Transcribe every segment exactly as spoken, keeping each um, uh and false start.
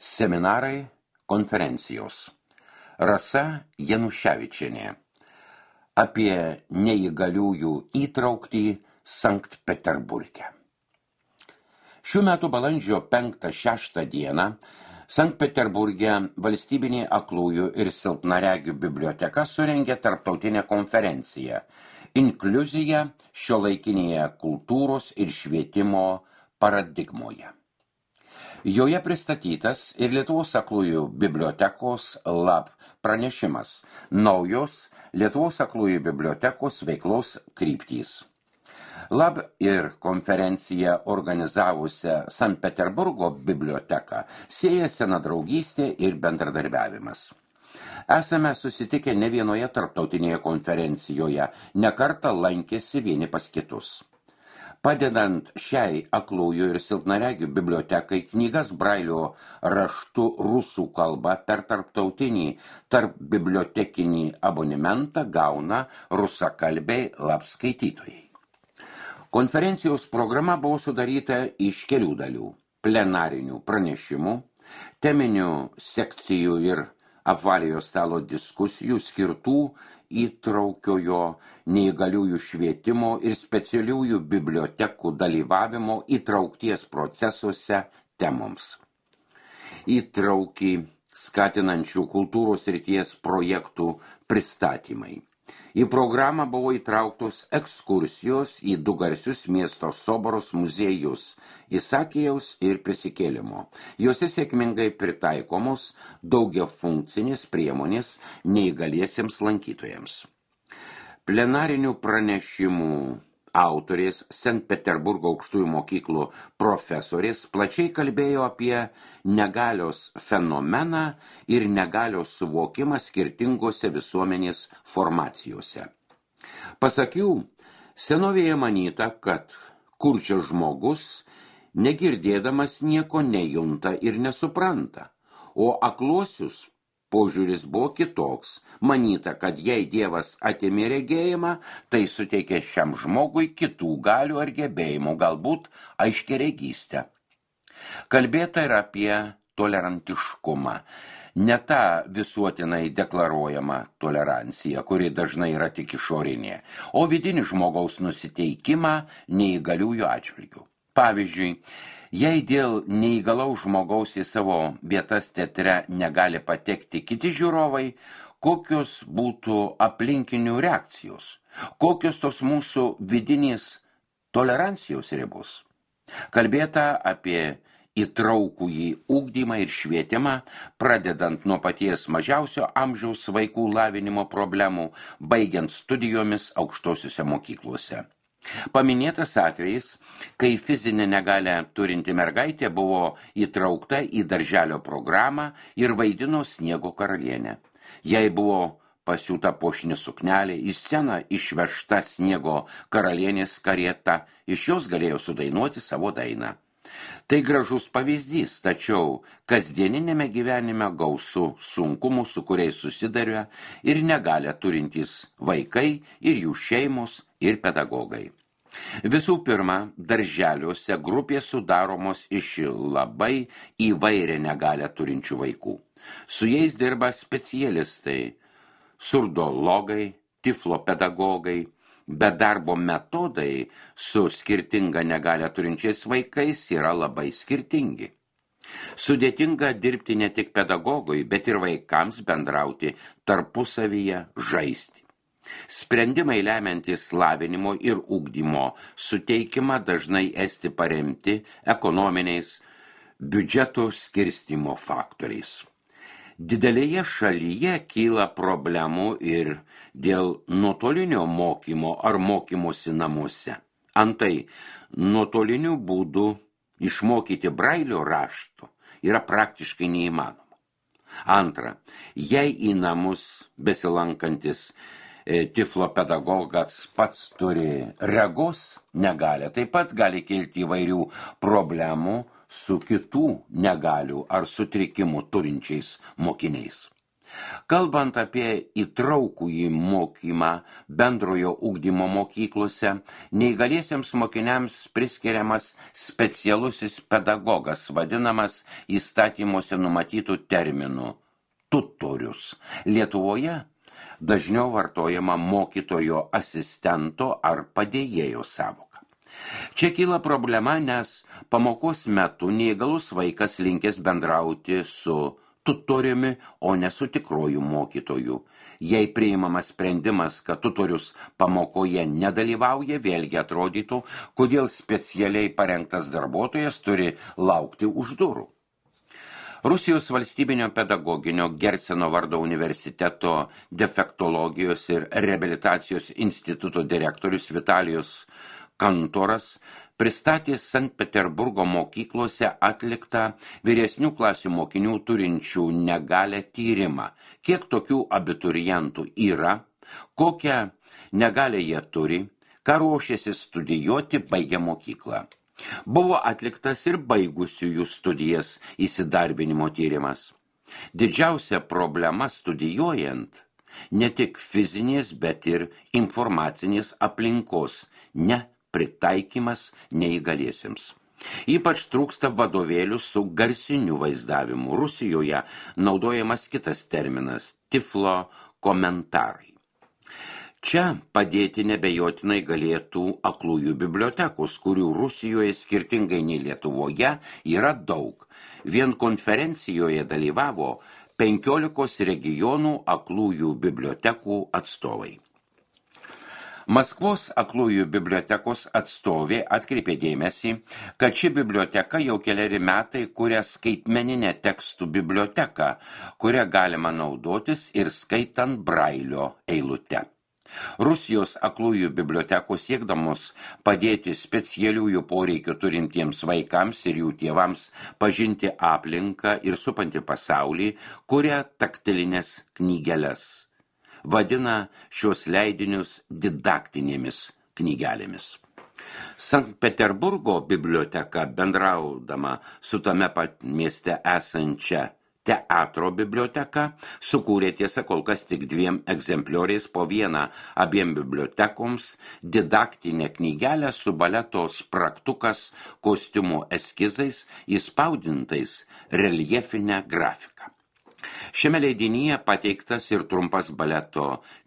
Seminarai, konferencijos. Rasa Januševičienė. Apie neįgaliųjų įtrauktį Sankt Peterburge. Šių metų balandžio penktą šeštą dieną Sankt Peterburge valstybinė aklųjų ir silpnaregių biblioteka surengė tarptautinę konferenciją Inkliuzija šiuolaikinėje kultūros ir švietimo paradigmoje. Joje pristatytas ir Lietuvos aklųjų bibliotekos lab pranešimas naujos Lietuvos aklųjų bibliotekos veiklos kryptys. Lab ir konferenciją organizavusią Sankt Peterburgo biblioteką sieja sena draugystė ir bendradarbiavimas. Esame susitikę ne vienoje tarptautinėje konferencijoje, ne kartą lankėsi vieni pas kitus. Padedant šiai aklųjų ir silpnaregių bibliotekai knygas Brailio raštu rusų kalba per tarptautinį tarp bibliotekinį abonementą gauna rusakalbiai lab skaitytojai. Konferencijos programa buvo sudaryta iš kelių dalių – plenarinių pranešimų, teminių sekcijų ir apvaliojo stalo diskusijų skirtų įtraukiojo neįgaliųjų švietimo ir specialiųjų bibliotekų dalyvavimo įtraukties procesuose temoms. Įtraukį skatinančių kultūros srities projektų pristatymai. Į programą buvo įtrauktos ekskursijos į du garsius miesto Soboros muziejus Isakijaus ir Prisikėlimo. Jose sėkmingai pritaikomos daugiafunkcinės priemonės neįgaliesiems lankytojams. Plenarinių pranešimų autorės Sankt Peterburgo aukštųjų mokyklų profesorės plačiai kalbėjo apie negalios fenomeną ir negalios suvokimą skirtingose visuomenės formacijose. Pasak jų, senovėje manyta, kad kurčias žmogus negirdėdamas nieko nejunta ir nesupranta, o akluosius požiūris buvo kitoks. Manyta, kad jei Dievas atėmė regėjimą, tai suteikė šiam žmogui kitų galių ar gebėjimų, galbūt aiškiaregystę. Kalbėta ir apie tolerantiškumą. Ne tą visuotinai deklaruojama tolerancija, kuri dažnai yra tik išorinė, o vidinį žmogaus nusiteikimą neįgaliųjų atžvilgių. Pavyzdžiui, jei dėl neįgalaus žmogaus į savo vietas teatre negali patekti kiti žiūrovai, kokios būtų aplinkinių reakcijos, kokios tos mūsų vidinės tolerancijos ribos. Kalbėta apie įtraukųjį ugdymą ir švietimą, pradedant nuo paties mažiausio amžiaus vaikų lavinimo problemų, baigiant studijomis aukštosiuose mokyklose. Paminėtas atvejis, kai fizinę negalią turinti mergaitė buvo įtraukta į darželio programą ir vaidino Sniego karalienę. Jai buvo pasiūta puošni suknelė, į sceną išvežta Sniego karalienės karieta, iš jos galėjo sudainuoti savo dainą. Tai gražus pavyzdys, tačiau kasdieninėme gyvenime gausu sunkumų, su kuriais susiduria ir negalią turintys vaikai ir jų šeimos ir pedagogai. Visų pirma, darželiuose grupės sudaromos iš labai įvairią negalią turinčių vaikų. Su jais dirba specialistai, surdologai, tiflopedagogai, bet darbo metodai su skirtinga negalią turinčiais vaikais yra labai skirtingi. Sudėtinga dirbti ne tik pedagogui, bet ir vaikams bendrauti tarpusavyje, žaisti. Sprendimai lemiantys lavinimo ir ugdymo suteikimą dažnai esti paremti ekonominiais biudžeto skirstymo faktoriais. Didelėje šalyje kyla problemų ir dėl nuotolinio mokymo ar mokymosi namuose. Antai, nuotoliniu būdu išmokyti Brailio rašto yra praktiškai neįmanoma. Antra, jei į namus besilankantis tiflopedagogas pats turi regos negalią, taip pat gali kilti įvairių problemų su kitų negalių ar sutrikimų turinčiais mokiniais. Kalbant apie įtraukųjį mokymą bendrojo ugdymo mokyklose, neįgaliesiems mokiniams priskiriamas specialusis pedagogas, vadinamas įstatymuose numatytų terminų tutorius. Lietuvoje dažniau vartojama mokytojo asistento ar padėjėjo sąvoka. Čia kyla problema, nes pamokos metu neįgalus vaikas linkęs bendrauti su tutoriumi, o ne su tikroju mokytoju. Jei priimamas sprendimas, kad tutorius pamokoje nedalyvauja, vėlgi atrodytų, kodėl specialiai parengtas darbuotojas turi laukti už durų. Rusijos valstybinio pedagoginio Gerseno vardo universiteto defektologijos ir reabilitacijos instituto direktorius Vitalijus Kantoras pristatė Sankt Peterburgo mokyklose atliktą vyresnių klasių mokinių turinčių negalią tyrimą. Kiek tokių abiturientų yra, kokią negalią jie turi, ką ruošiasi studijuoti baigę mokyklą. Buvo atliktas ir baigusiųjų studijas įsidarbinimo tyrimas. Didžiausia problema studijuojant ne tik fizinės, bet ir informacinės aplinkos, ne pritaikymas neįgaliesiems. Ypač trūksta vadovėlių su garsiniu vaizdavimu. Rusijoje naudojamas kitas terminas – tiflo komentarai. Čia padėti nebejotinai galėtų aklųjų bibliotekos, kurių Rusijoje skirtingai nei Lietuvoje yra daug. Vien konferencijoje dalyvavo penkiolikos regionų aklųjų bibliotekų atstovai. Maskvos aklųjų bibliotekos atstovė atkreipė dėmesį, kad ši biblioteka jau keleri metai kuria skaitmeninę tekstų biblioteką, kurią galima naudotis ir skaitant brailio eilute. Rusijos aklųjų bibliotekos siekdamos padėti specialiųjų poreikių turintiems vaikams ir jų tėvams pažinti aplinką ir supantį pasaulį, kuria taktilinės knygeles. Vadina šios leidinius didaktinėmis knygelėmis. Sankt Peterburgo biblioteka, bendraudama su tame pat mieste esančia teatro biblioteka, sukūrė tiesa kol kas tik dviem egzemplioriais po vieną abiem bibliotekoms didaktinę knygelę su baleto spragtukas kostiumų eskizais įspaudintais reljefinę grafiką. Šiame leidinyje pateiktas ir trumpas baleto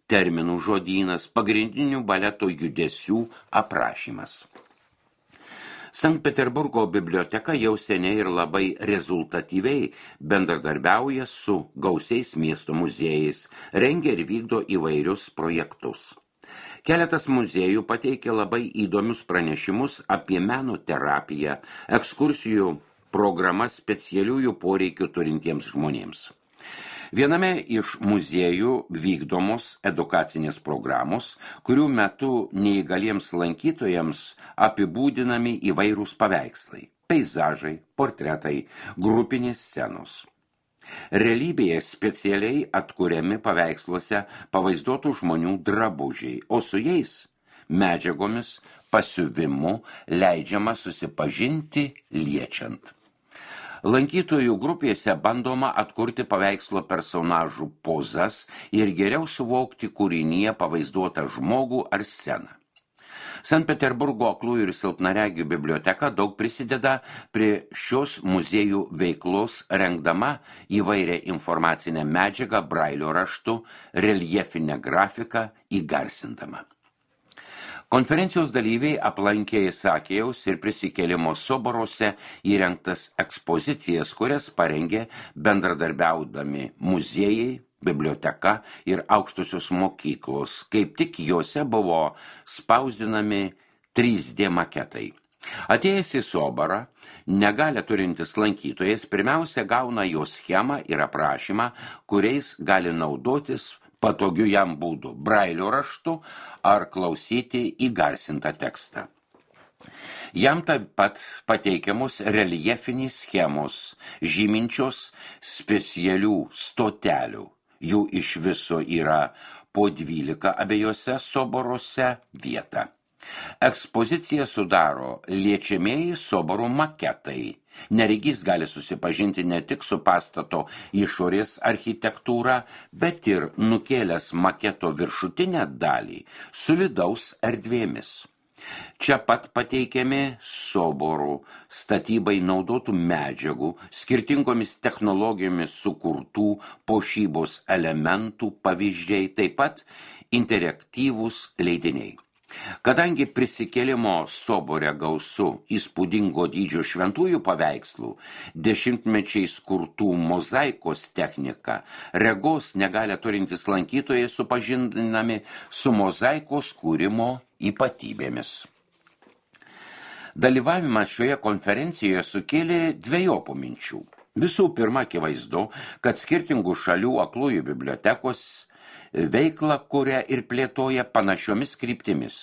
terminų žodynas, pagrindinių baleto judesių aprašymas. Sankt Peterburgo biblioteka jau seniai ir labai rezultatyviai bendradarbiauja su gausiais miesto muziejais, rengia ir vykdo įvairius projektus. Keletas muziejų pateikė labai įdomius pranešimus apie meno terapiją, ekskursijų programas specialiųjų poreikių turintiems žmonėms. Viename iš muziejų vykdomos edukacinės programos, kurių metu neįgaliems lankytojams apibūdinami įvairūs paveikslai, peizažai, portretai, grupinės scenos. Realybėje specialiai atkuriami paveiksluose pavaizduotų žmonių drabužiai, o su jais medžiagomis pasiuvimu leidžiama susipažinti liečiant. Lankytojų grupėse bandoma atkurti paveikslo personažų pozas ir geriau suvokti kūrinyje pavaizduotą žmogų ar sceną. Sankt Peterburgo aklųjų ir silpnaregių biblioteka daug prisideda prie šios muziejų veiklos, rengdama įvairią informacinę medžiagą brailio raštu, reljefinę grafiką įgarsindama. Konferencijos dalyviai aplankė Isakėjaus ir Prisikėlimo soboruose įrengtas ekspozicijas, kurias parengė bendradarbiaudami muziejai, biblioteka ir aukštosios mokyklos. Kaip tik juose buvo spausdinami trys D maketai. Atėjęs į sobarą, negalią turintis lankytojas pirmiausia gauna jo schemą ir aprašymą, kuriais gali naudotis patogiu jam būdu brailio raštu ar klausyti įgarsintą tekstą. Jam taip pat pateikiamos reljefinės schemos, žyminčios specialių stotelių. Jų iš viso yra po dvylika abiejose soboruose vieta. Ekspoziciją sudaro liečiamieji Soboro maketai. Neregys gali susipažinti ne tik su pastato išorės architektūra, bet ir nukėlęs maketo viršutinę dalį su vidaus erdvėmis. Čia pat pateikiami Soborų statybai naudotų medžiagų, skirtingomis technologijomis sukurtų puošybos elementų pavyzdžiai, taip pat interaktyvūs leidiniai. Kadangi prisikėlimo Sobore gausu įspūdingo dydžio šventųjų paveikslų, dešimtmečiais kurtų mozaikos technika, regos negalę turintys lankytojai supažindinami su mozaikos kūrimo ypatybėmis. Dalyvavimas šioje konferencijoje sukėlė dvejopų minčių. Visų pirma, akivaizdu, kad skirtingų šalių aklųjų bibliotekos veiklą kuria ir plėtoja panašiomis kryptimis.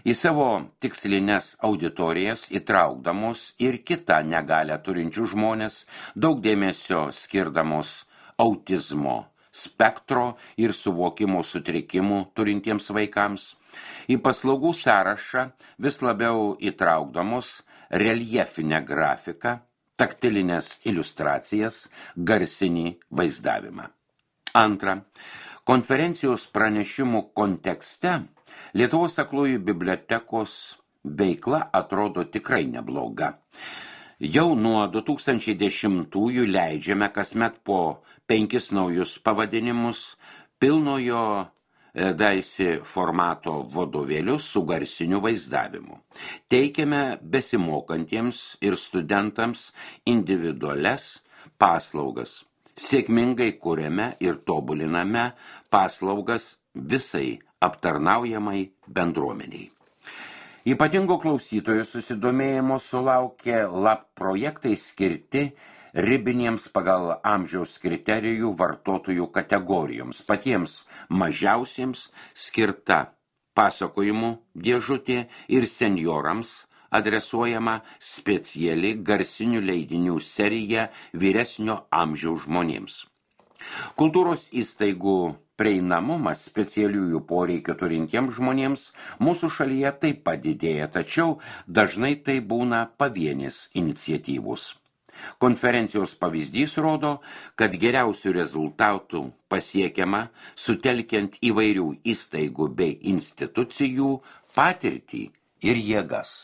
Į savo tikslines auditorijas įtraukdamos ir kitą negalę turinčių žmonės, daug dėmesio skirdamos autizmo spektro ir suvokimo sutrikimų turintiems vaikams, į paslaugų sąrašą vis labiau įtraukdamos reljefinę grafiką, taktilinės iliustracijas, garsinį vaizdavimą. Antra, konferencijos pranešimų kontekste Lietuvos aklųjų bibliotekos veikla atrodo tikrai nebloga. Jau nuo du tūkstančiai dešimtųjų leidžiame kasmet po penkis naujus pavadinimus pilnojo daisi formato vadovėlius su garsiniu vaizdavimu. Teikiame besimokantiems ir studentams individualias paslaugas. Sėkmingai kuriame ir tobuliname paslaugas visai aptarnaujamai bendruomeniai. Ypatingo klausytojų susidomėjimo sulaukė lab projektai skirti ribiniems pagal amžiaus kriterijų vartotojų kategorijoms, patiems mažiausiems skirta pasakojimų dėžutė ir senjorams adresuojama speciali garsinių leidinių serija vyresnio amžiaus žmonėms. Kultūros įstaigų prieinamumas specialiųjų poreikių turintiems žmonėms mūsų šalyje taip pat didėja, tačiau dažnai tai būna pavienės iniciatyvos. Konferencijos pavyzdys rodo, kad geriausių rezultatų pasiekiama sutelkiant įvairių įstaigų bei institucijų patirtį ir jėgas.